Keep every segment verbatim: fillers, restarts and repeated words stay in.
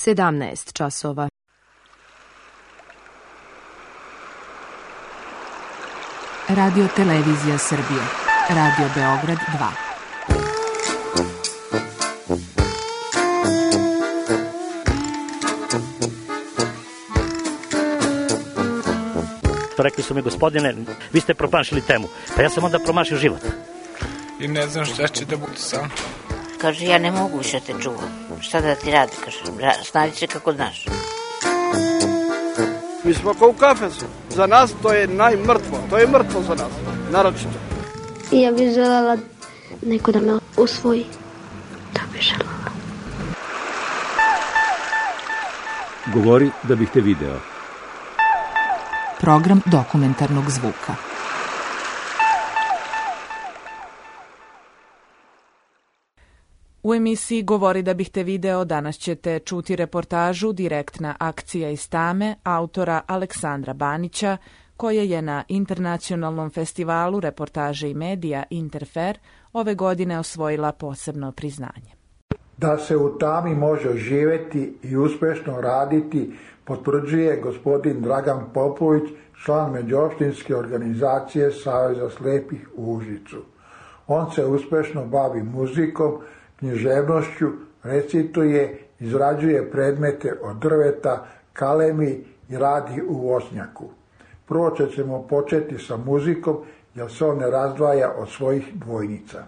sedamnaest časova. Radio Televizija Srbije. Radio Beograd dva. Rekli su mi, gospodine, vi ste promašili temu. Pa ja sam onda promašio život. I ne znam šta će da bude sam. Kaže, ja ne mogu više te čuvam. Šta da ti radi, kaže, snađi se kako znaš. Mi smo kao u kafesu. Za nas to je najmrtvo. To je mrtvo za nas, naročito. Ja bih želela neko da me usvoji. Da bih želela. Govori da bih te video. Program dokumentarnog zvuka. U emisiji Govori da bih te video danas ćete čuti reportažu Direktna akcija iz Tame autora Aleksandra Banića, koja je na internacionalnom festivalu reportaže i medija Interfer ove godine osvojila posebno priznanje. Da se u Tami može živjeti i uspješno raditi potvrđuje gospodin Dragan Popović, član međuopštinske organizacije Saveza slepih u Užicu. On se uspješno bavi muzikom, književnošću, recituje, izrađuje predmete od drveta, kalemi i radi u voćnjaku. Prvo ćemo početi sa muzikom, jer se on ne razdvaja od svojih dvojnica.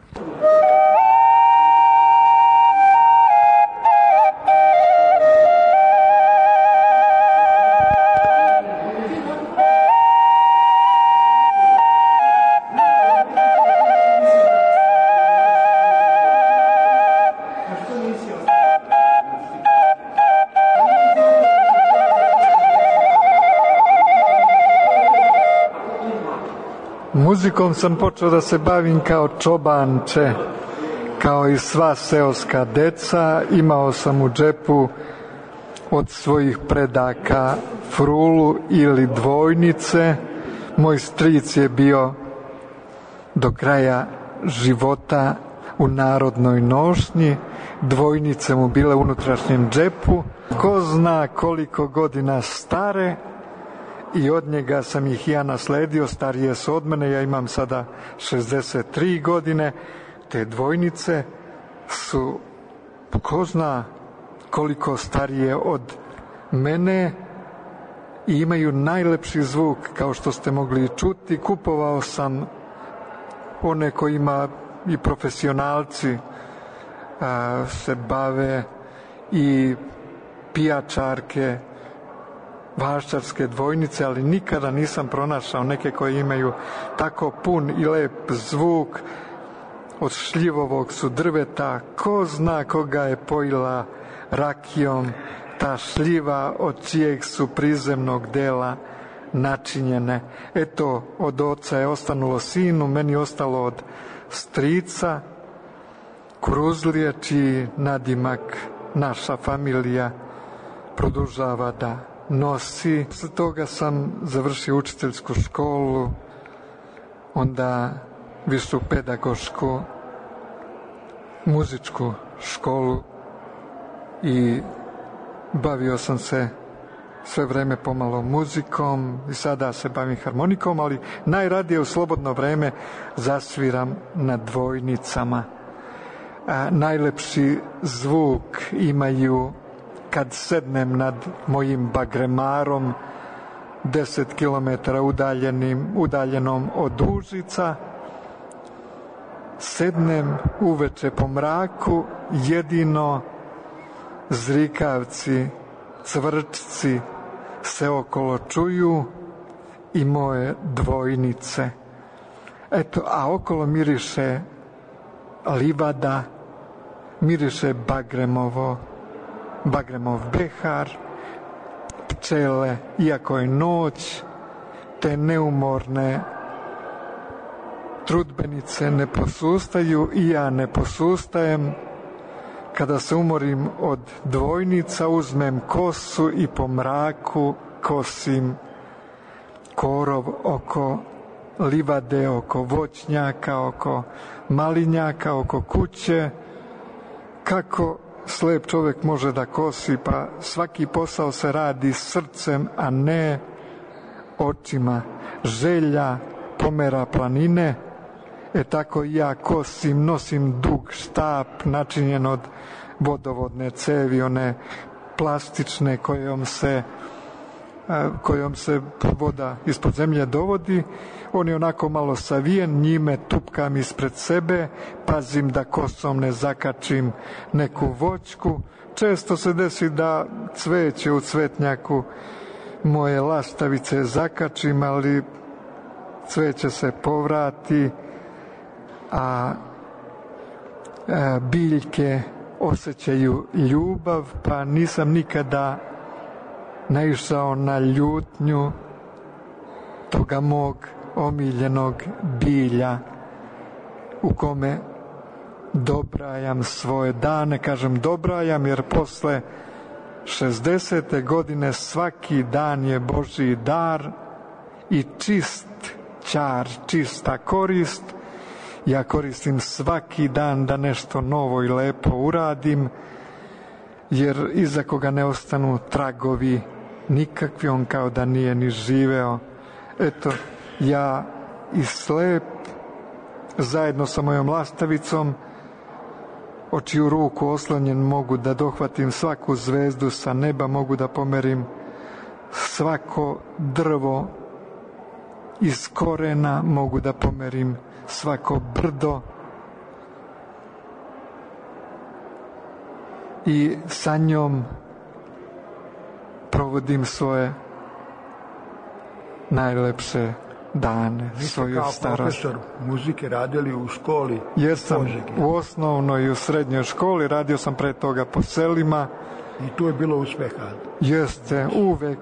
Muzikom sam počeo da se bavim kao čobanče, kao i sva seoska deca. Imao sam u džepu od svojih predaka frulu ili dvojnice. Moj stric je bio do kraja života u narodnoj nošnji. Dvojnice mu bile u unutrašnjem džepu. Ko zna koliko godina stare, i od njega sam ih ja nasledio, starije su od mene, ja imam sada šezdeset tri godine, te dvojnice su, ko zna koliko starije od mene i imaju najlepši zvuk, kao što ste mogli čuti. Kupovao sam one kojima i profesionalci a, se bave, i pijačarke, vaščarske dvojnice, ali nikada nisam pronašao neke koje imaju tako pun i lep zvuk. Od šljivovog su drveta, ko zna koga je pojila rakijom ta šljiva, od čijeg su prizemnog dela načinjene. Eto, od oca je ostanulo sinu, meni ostalo od strica Kuruzlije, čiji nadimak naša familija produžava da nosi. Posle toga sam završio učiteljsku školu, onda višu pedagošku muzičku školu i bavio sam se sve vreme pomalo muzikom i sada se bavim harmonikom, ali najradije u slobodno vreme zasviram na dvojnicama. A, najlepši zvuk imaju kad sednem nad mojim bagremarom deset kilometara udaljenim, udaljenom od Užica, sednem uveče po mraku, jedino zrikavci, cvrčci se okolo čuju i moje dvojnice. Eto, a okolo miriše livada, miriše bagremovo, bagremov behar, pčele, iako je noć, te neumorne trudbenice ne posustaju i ja ne posustajem. Kada se umorim od dvojnica, uzmem kosu i po mraku kosim korov oko livade, oko voćnjaka, oko malinjaka, oko kuće, kako slep čovjek može da kosi, pa svaki posao se radi srcem, a ne očima. Želja pomera planine, e tako i ja kosim, nosim dug štap načinjen od vodovodne cevi, one plastične kojom se kojom se voda ispod zemlje dovodi. On je onako malo savijen, njime tupkam ispred sebe, pazim da kosom ne zakačim neku voćku. Često se desi da cveće u cvetnjaku moje lastavice zakačim, ali cveće se povrati, a biljke osjećaju ljubav, pa nisam nikada naišao na ljutnju toga mog omiljenog bilja u kome dobrajam svoje dane. Kažem dobrajam jer posle šezdesete godine svaki dan je Božji dar i čist ćar, čista korist. Ja koristim svaki dan da nešto novo i lepo uradim, jer iza koga ne ostanu tragovi nikakvi, on kao da nije ni živeo. Eto, ja i slep zajedno sa mojom lastavicom, o čiju ruku oslonjen mogu da dohvatim svaku zvezdu sa neba, mogu da pomerim svako drvo iz korena, mogu da pomerim svako brdo i sa njom provodim svoje najlepše dane, svoju starost. Kao profesor muzike radili u školi? Jer sam u osnovnoj i u srednjoj školi, radio sam pre toga po selima. I tu je bilo uspeha? Jeste, uvek.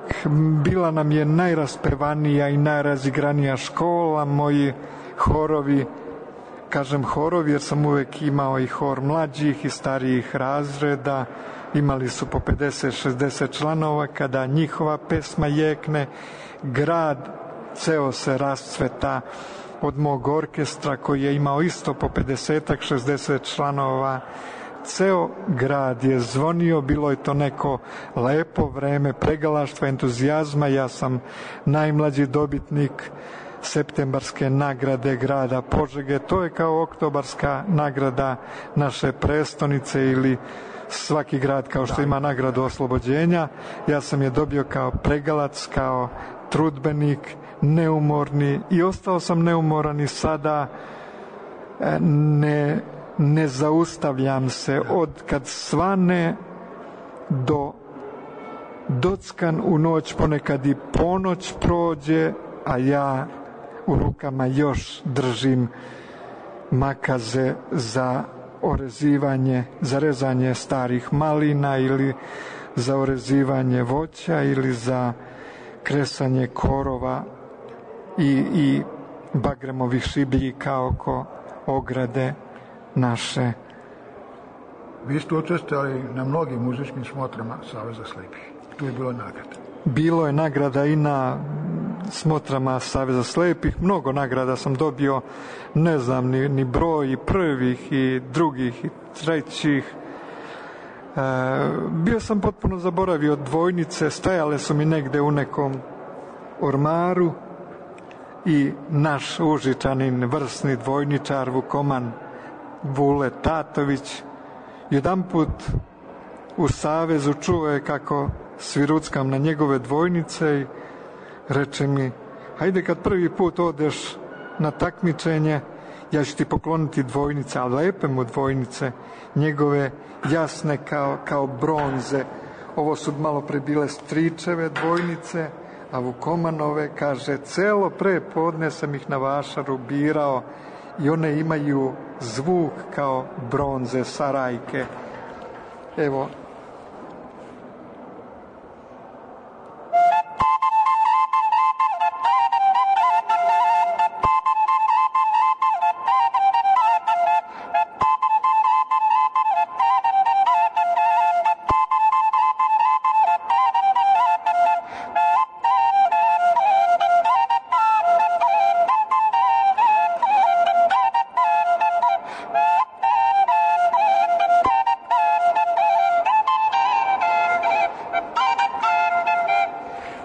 Bila nam je najraspevanija i najrazigranija škola, moji horovi, kažem horovi jer sam uvek imao i hor mlađih i starijih razreda, imali su po pedeset šezdeset članova. Kada njihova pesma jekne, grad ceo se rascveta. Od mog orkestra koji je imao isto po pedeset šezdeset članova, ceo grad je zvonio. Bilo je to neko lepo vreme pregalaštva, entuzijazma. Ja sam najmlađi dobitnik septembarske nagrade grada Požege. To je kao oktobarska nagrada naše prestonice ili svaki grad kao što ima nagradu oslobođenja. Ja sam je dobio kao pregalac, kao trudbenik, neumorni, i ostao sam neumoran i sada. Ne, ne zaustavljam se od kad svane do dockan u noć, ponekad i ponoć prođe, a ja u rukama još držim makaze za orezivanje, za rezanje starih malina ili za orezivanje voća ili za kresanje korova i, i bagremovih šibljika oko ograde naše. Vi ste učestvovali na mnogim muzičkim smotrama Saveza slepih. Tu je bilo nagrada. Bilo je nagrada i na smotrama Saveza slepih. Mnogo nagrada sam dobio, ne znam ni, ni broj, i prvih i drugih i trećih. E, bio sam potpuno zaboravio dvojnice, stajale su mi negde u nekom ormaru i naš Užičanin, vrsni dvojničar Vukoman Vule Tatović, jedan put u Savezu čuo je kako sviruckam na njegove dvojnice i reče mi: hajde kad prvi put odeš na takmičenje, ja ću ti pokloniti dvojnice, a lepe mu dvojnice, njegove jasne kao, kao bronze. Ovo su malo pre bile stričeve dvojnice, a Vukomanove, kaže, celo pre podne sam ih na vašaru birao i one imaju zvuk kao bronze sarajke. Evo,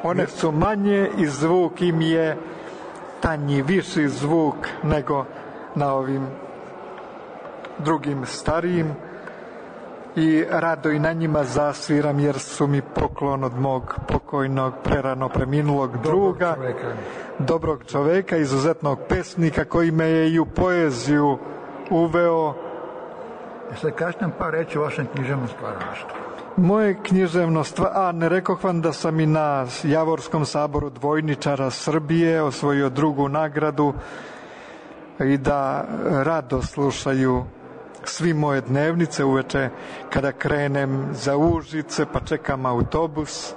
One su manje i zvuk im je tanji, viši zvuk nego na ovim drugim starijim i rado i na njima zasviram jer su mi poklon od mog pokojnog prerano preminulog druga, dobrog čoveka, dobrog čoveka, izuzetnog pesnika koji me je i u poeziju uveo. E sad kažete nam par reći o vašem književnom stvaralaštvu. Moje književno stvar, a ne rekoh vam da sam i na Javorskom saboru dvojničara Srbije osvojio drugu nagradu i da rado slušaju svi moje dnevnice uveče kada krenem za Užice pa čekam autobus.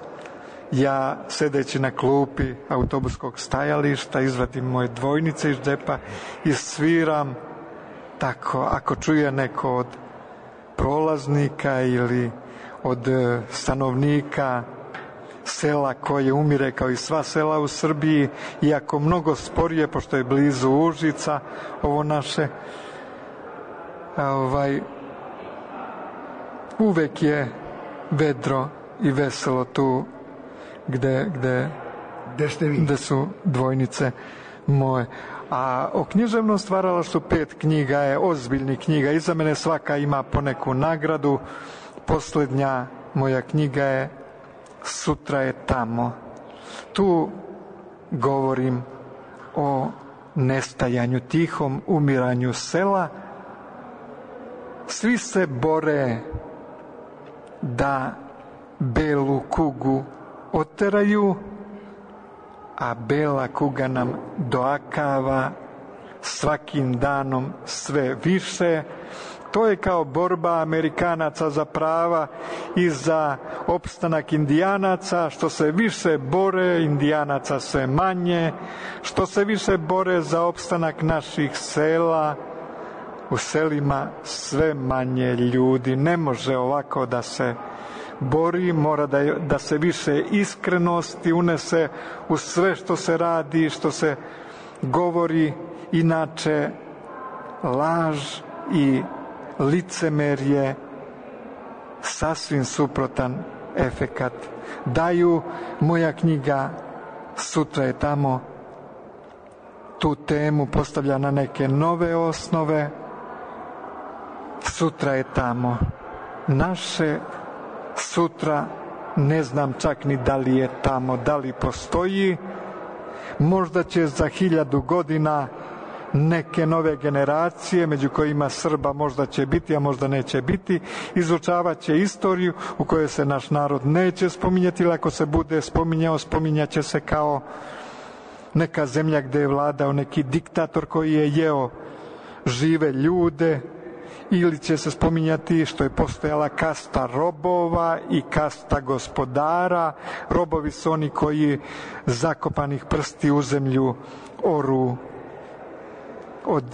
Ja sedeći na klupi autobuskog stajališta izvadim moje dvojnice iz džepa i sviram tako, ako čuje neko od prolaznika ili od stanovnika sela koje umire kao i sva sela u Srbiji, iako mnogo sporije pošto je blizu Užica ovo naše, ovaj, uvek je vedro i veselo tu gde, gde, gde, ste vi? Gde su dvojnice moje. A o književnom stvaralaštvu pet knjiga je ozbiljnih knjiga. Iza mene svaka ima poneku nagradu. Poslednja moja knjiga je Sutra je tamo. Tu govorim o nestajanju, tihom umiranju sela. Svi se bore da belu kugu oteraju, a bela kuga nam doakava svakim danom sve više. To je kao borba Amerikanaca za prava i za opstanak Indijanaca. Što se više bore, Indijanaca sve manje. Što se više bore za opstanak naših sela, u selima sve manje ljudi. Ne može ovako da se bori, mora da, da se više iskrenosti unese u sve što se radi, što se govori, inače laž i licemerje sasvim suprotan efekat daju. Moja knjiga Sutra je tamo tu temu postavlja na neke nove osnove. Sutra je tamo. Naše sutra ne znam čak ni da li je tamo, da li postoji. Možda će za hiljadu godina neke nove generacije, među kojima Srba možda će biti, a možda neće biti, izučavat će istoriju u kojoj se naš narod neće spominjati, ili ako se bude spominjao, spominjaće se kao neka zemlja gde je vladao neki diktator koji je jeo žive ljude, ili će se spominjati što je postojala kasta robova i kasta gospodara. Robovi su oni koji zakopanih prsti u zemlju oru od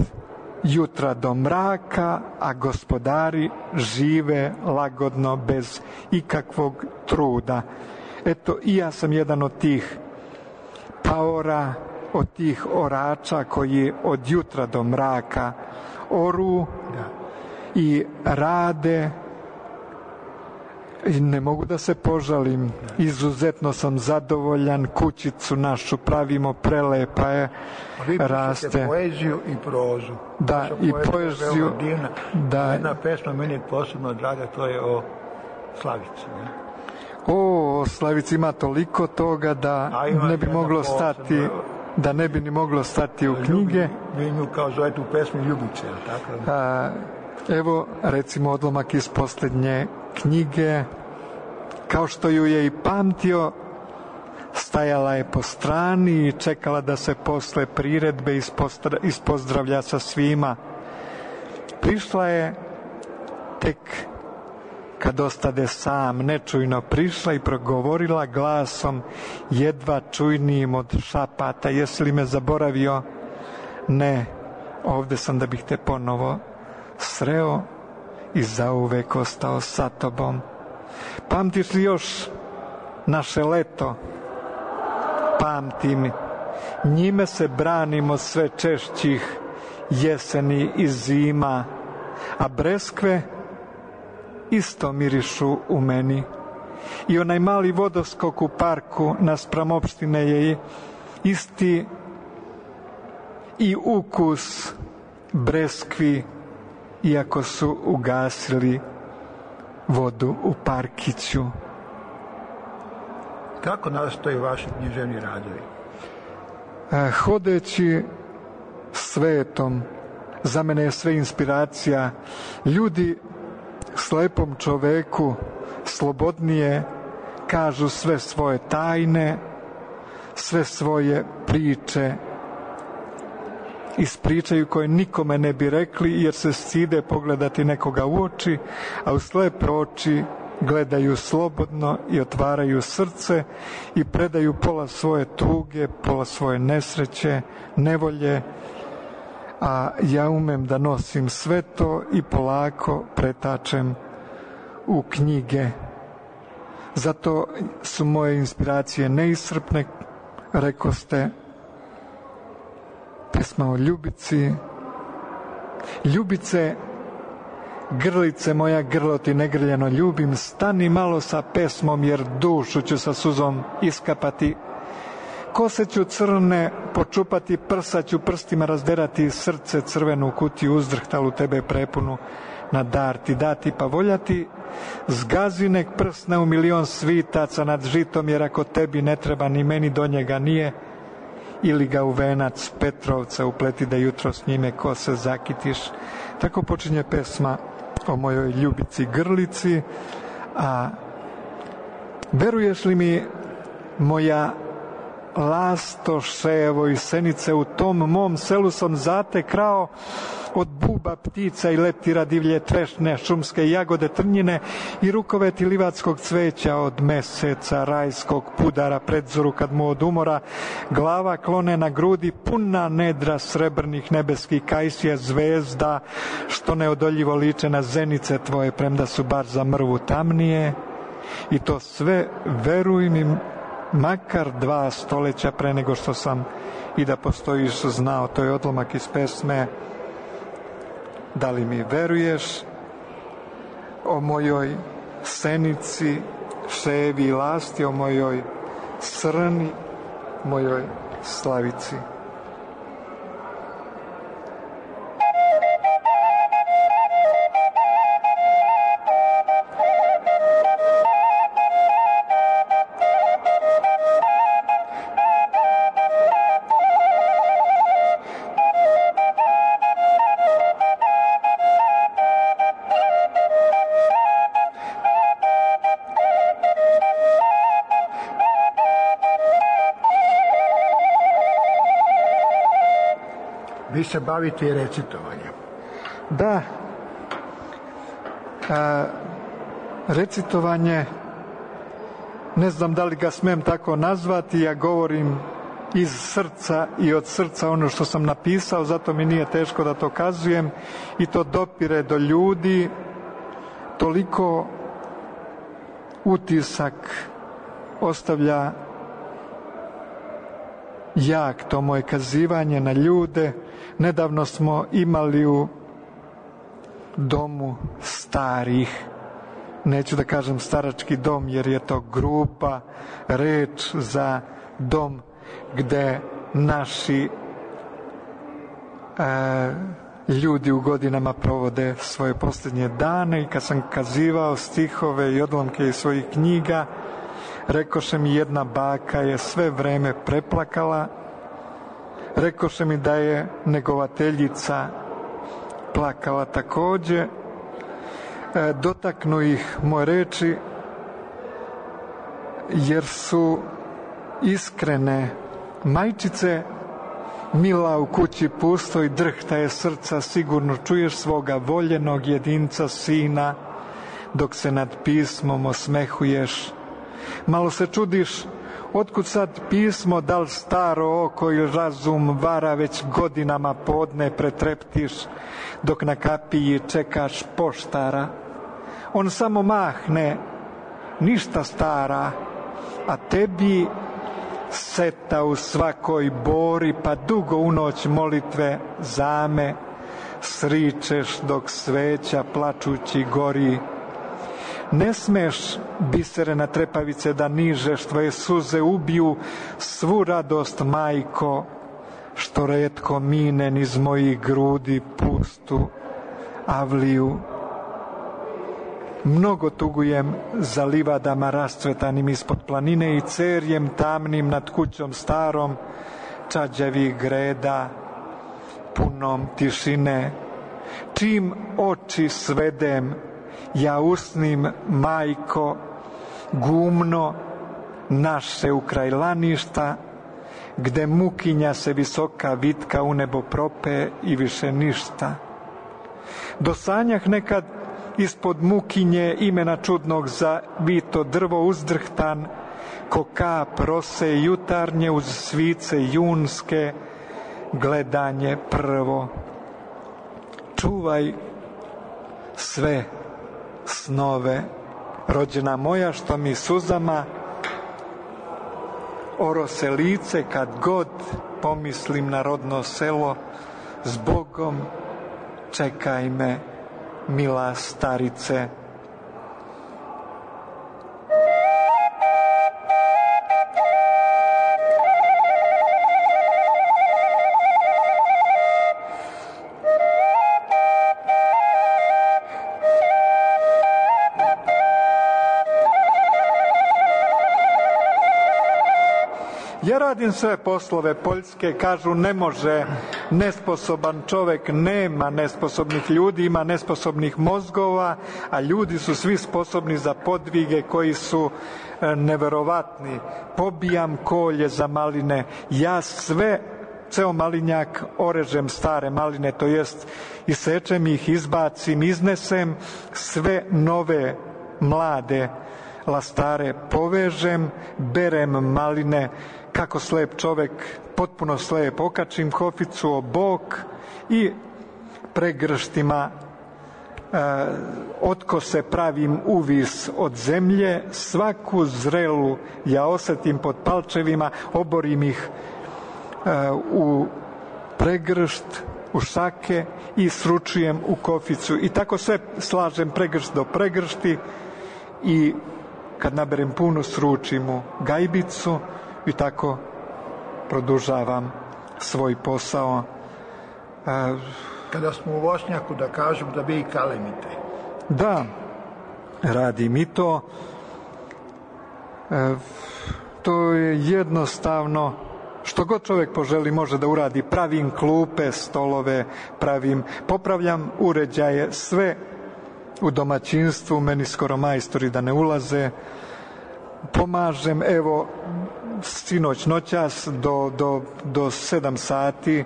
jutra do mraka, a gospodari žive lagodno bez ikakvog truda. Eto, i ja sam jedan od tih paora, od tih orača koji od jutra do mraka oru i rade. I ne mogu da se požalim, izuzetno sam zadovoljan, kućicu našu pravimo, prelepa je, raste. Vi pišete poeziju i prozu. Da, Vaša i poeziju. Divna. Da. Jedna pesma meni je posebno draga, to je o Slavici. Ne? O, o Slavici ima toliko toga da ne bi moglo stati, da ne bi ni moglo stati u knjige. Vi nju kao zovete u pesmi Ljubice, tako? A, evo, recimo, odlomak iz poslednje knjige. Kao što ju je i pamtio, stajala je po strani i čekala da se posle priredbe ispozdravlja sa svima. Prišla je tek kad ostade sam, nečujno prišla i progovorila glasom jedva čujnijim od šapata: jesi li me zaboravio? Ne, ovde sam da bih te ponovo sreo i zauvek ostao sa tobom. Pamtiš li još naše leto? Pamtim, njime se branimo sve češćih jeseni i zima, a breskve isto mirišu u meni i onaj mali vodoskok u parku naspram opštine je isti i ukus breskvi, iako su ugasili vodu u parkiću. Kako nastaju vaši književni radovi? Hodeći svetom, za mene je sve inspiracija. Ljudi slepom čoveku slobodnije kažu sve svoje tajne, sve svoje priče, ispričaju koje nikome ne bi rekli jer se stide pogledati nekoga u oči, a u slepe oči gledaju slobodno i otvaraju srce i predaju pola svoje tuge, pola svoje nesreće, nevolje, a ja umem da nosim sve to i polako pretačem u knjige. Zato su moje inspiracije neiscrpne, rekoste, pesma o Ljubici. Ljubice, grlice moja, grlo ti negrljeno ljubim, stani malo sa pesmom jer dušu ću sa suzom iskapati. Kose ću crne počupati, prsa ću prstima razderati, srce crvenu kutiju uzdrhtalu tebe prepunu na dar ti dati pa voljati. Zgazi nek prsne u milion svitaca nad žitom, jer ako tebi ne treba ni meni do njega nije, ili ga u venac Petrovca upleti da jutro s njime kose zakitiš. Tako počinje pesma o mojoj Ljubici grlici. A veruješ li mi, moja lastoše, evo i senice, u tom mom selu sam zate krao od buba ptica i leptira divlje trešne, šumske jagode trnjine i rukoveti livatskog cveća, od meseca rajskog pudara predzoru kad mu od umora glava klone na grudi, puna nedra srebrnih nebeskih kajsija zvezda što neodoljivo liče na zenice tvoje, premda su bar za mrvu tamnije. I to sve, veruj mi, makar dva stoleća pre nego što sam i da postojiš znao. To je odlomak iz pesme Da li mi veruješ, o mojoj senici, ševi i lasti, o mojoj srni, mojoj slavici. Vi se bavite i recitovanjem. Da. A, recitovanje, ne znam da li ga smem tako nazvati, ja govorim iz srca i od srca ono što sam napisao, zato mi nije teško da to kazujem i to dopire do ljudi. Toliko utisak ostavlja jak to moje kazivanje na ljude. Nedavno smo imali u domu starih, neću da kažem starački dom jer je to grupa reč za dom gde naši e, ljudi u godinama provode svoje posljednje dane. I kad sam kazivao stihove i odlomke iz svojih knjiga, rekoše mi jedna baka je sve vreme preplakala, rekoše mi da je negovateljica plakala takođe. E, dotaknu ih moje reči jer su iskrene. Majčice mila u kući pustoj, drhta je srca, sigurno čuješ svoga voljenog jedinca sina dok se nad pismom osmehuješ. Malo se čudiš otkud sad pismo, da li staro oko ili razum vara, već godinama podne pretreptiš dok na kapiji čekaš poštara. On samo mahne, ništa stara, a tebi seta u svakoj bori, pa dugo u noć molitve zame sričeš dok sveća plačući gori. Ne smeš, biserena trepavice, da nižeš, tvoje suze ubiju svu radost, majko, što retko mine niz mojih grudi pustu avliju. Mnogo tugujem za livadama rascvetanim ispod planine i cerjem tamnim nad kućom starom čađavih greda, punom tišine. Čim oči svedem, ja usnim, majko, gumno naše ukrajlaništa, gde mukinja se visoka vitka u nebo prope i više ništa. Do sanjah nekad ispod mukinje imena čudnog za vito drvo uzdrhtan, ko kap rose jutarnje uz svice junske, gledanje prvo. Čuvaj sve snove, rođena moja, što mi suzama orose lice kad god pomislim na rodno selo. Zbogom čekaj me, mila starice. Ja radim sve poslove poljske, kažu ne može, nesposoban čovek, nema nesposobnih ljudi, ima nesposobnih mozgova, a ljudi su svi sposobni za podvige koji su neverovatni. Pobijam kolje za maline, ja sve, ceo malinjak orežem stare maline, to jest isečem ih, izbacim, iznesem, sve nove, mlade lastare povežem, berem maline, kako slep čovek, potpuno slep, okačim hoficu o bok i pregrštima e, otkose pravim uvis od zemlje, svaku zrelu ja osetim pod palčevima, oborim ih e, u pregršt, u šake i sručujem u koficu i tako sve slažem pregršt do pregršti i kad naberem puno sručim u gajbicu i tako produžavam svoj posao. E, Kada smo u voćnjaku, da kažem da vi i kalemite. Da, radim i to. E, to je jednostavno, što god čovjek poželi može da uradi. Pravim klupe, stolove, pravim, popravljam uređaje, sve u domaćinstvu, meni skoro majstori da ne ulaze. Pomažem, evo, sinoć noćas do, do, do sedam sati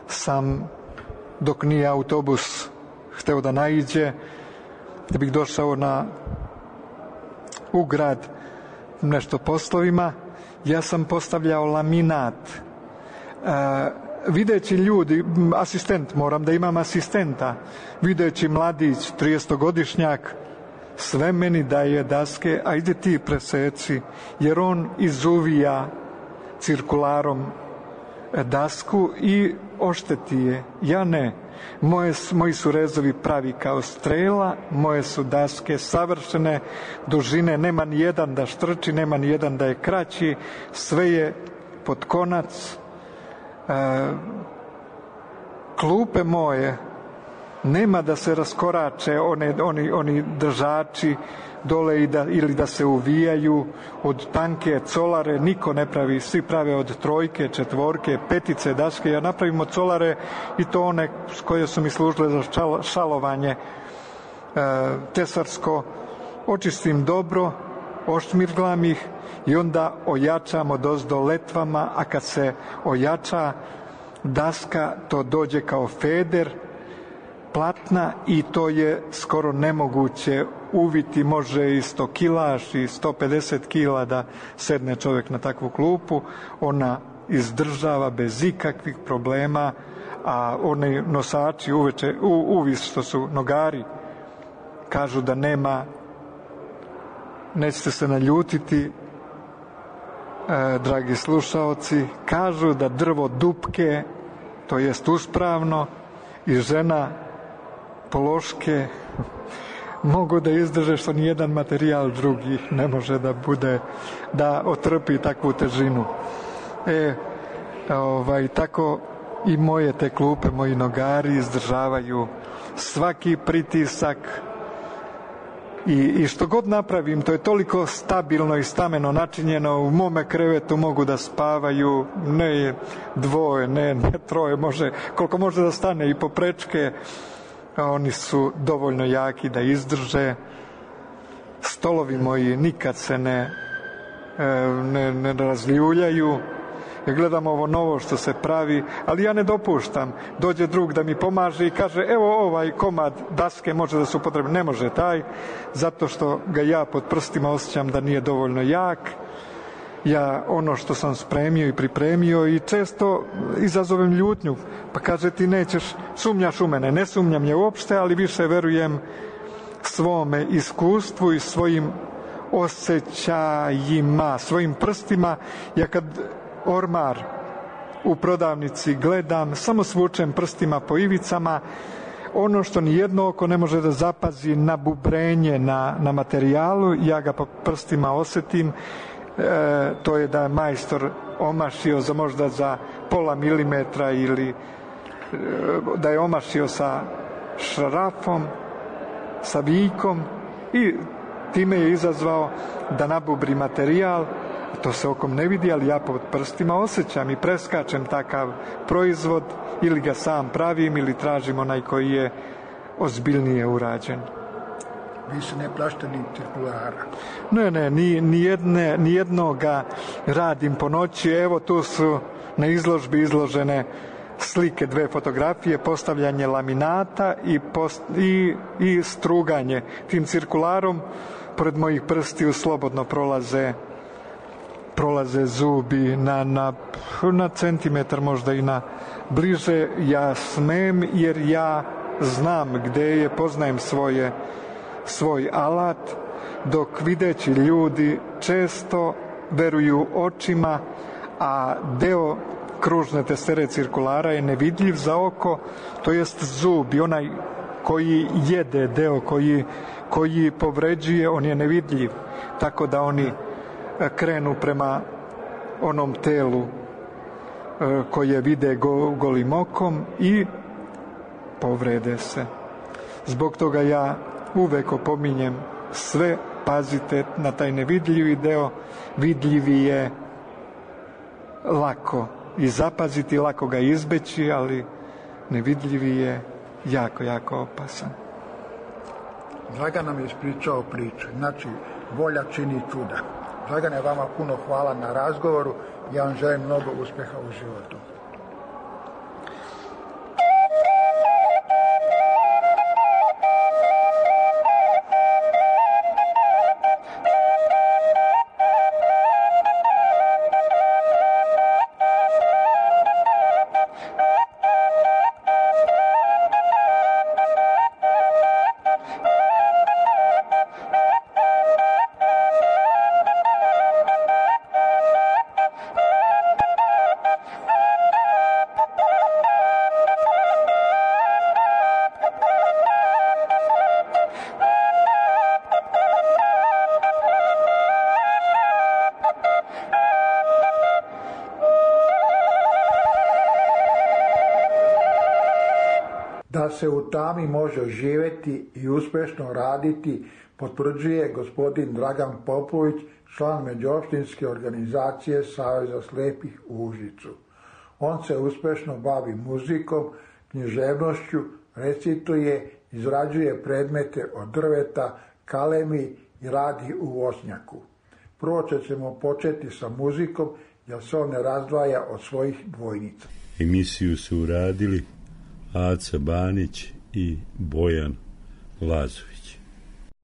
sam, dok nije autobus hteo da naiđe, da bih došao na u grad nešto poslovima, ja sam postavljao laminat. E, videći ljudi, asistent, moram da imam asistenta, videći mladić, tridesetogodišnjak, sve meni daje daske, a ide ti preseci, jer on izuvija cirkularom dasku i ošteti je. Ja ne. Moje, moji su rezovi pravi kao strela, moje su daske savršene dužine, nema ni jedan da štrči, nema ni jedan da je kraći, sve je pod konac. E, klupe moje, nema da se raskorače one, oni, oni držači dole i da, ili da se uvijaju od tanke colare, niko ne pravi, svi prave od trojke, četvorke, petice daske, ja napravim od colare i to one koje su mi služile za šal, šalovanje e, tesarsko, očistim dobro, ošmirglam ih i onda ojačam odozdo letvama, a kad se ojača daska, to dođe kao feder platna i to je skoro nemoguće uviti, može i sto kilaš i sto pedeset kila da sedne čovjek na takvu klupu, ona izdržava bez ikakvih problema, a oni nosači uveče, u, uvis što su nogari, kažu da nema, nećete se naljutiti, e, dragi slušaoci, kažu da drvo dupke, to jest uspravno, i žena pološke mogu da izdrže što nijedan materijal drugi ne može da bude, da otrpi takvu težinu. E, ovaj, tako i moje te klupe, moji nogari izdržavaju svaki pritisak i, i što god napravim, to je toliko stabilno i stameno načinjeno, u mome krevetu mogu da spavaju ne dvoje, ne, ne troje, može, koliko može da stane i poprečke, a oni su dovoljno jaki da izdrže. Stolovi moji nikad se ne, ne, ne razljuljaju. Ja gledam ovo novo što se pravi, ali ja ne dopuštam. Dođe drug da mi pomaže i kaže, evo ovaj komad daske može da se upotrebi. Ne može taj, zato što ga ja pod prstima osjećam da nije dovoljno jak. Ja ono što sam spremio i pripremio i često izazovem ljutnju, pa kaže ti nećeš, sumnjaš u mene. Ne sumnjam je uopšte, ali više verujem svome iskustvu i svojim osjećajima, svojim prstima. Ja kad ormar u prodavnici gledam, samo svučem prstima po ivicama, ono što ni jedno oko ne može da zapazi na bubrenje na, na materijalu, ja ga po prstima osjetim. E, to je da je majstor omašio za možda za pola milimetra ili e, da je omašio sa šrafom, sa vikom i time je izazvao da nabubri materijal. To se okom ne vidi, ali ja pod prstima osjećam i preskačem takav proizvod ili ga sam pravim ili tražim onaj koji je ozbiljnije urađen. Vi se ne plašite ni cirkulara? Ne, ne, ni, ni, jedne, ni jednoga radim po noći. Evo tu su na izložbi izložene slike, dve fotografije, postavljanje laminata i, post, i, i struganje. Tim cirkularom pored mojih prstiju slobodno prolaze prolaze zubi na, na, na centimetar, možda i na bliže. Ja smem jer ja znam gde je, poznajem svoje svoj alat, dok videći ljudi često veruju očima, a deo kružne testere cirkulara je nevidljiv za oko, to jest zub i onaj koji jede, deo koji, koji povređuje, on je nevidljiv, tako da oni krenu prema onom telu koje vide go, golim okom i povrede se. Zbog toga ja uvek opominjem sve, pazite na taj nevidljivi deo, vidljivi je lako i zapaziti, lako ga izbeći, ali nevidljivi je jako, jako opasan. Dragan nam je ispričao priču, znači volja čini čuda. Dragane, vama puno hvala na razgovoru, ja vam želim mnogo uspjeha u životu. Da se u tami može živjeti i uspješno raditi, potvrđuje gospodin Dragan Popović, član međuopštinske organizacije Saveza slijepih u Užicu. On se uspješno bavi muzikom, književnošću, recituje, izrađuje predmete od drveta, kalemi i radi u voćnjaku. Prvo ćemo početi sa muzikom, jer se on ne razdvaja od svojih dvojnica. Emisiju su uradili Aca Banić i Bojan Lazović.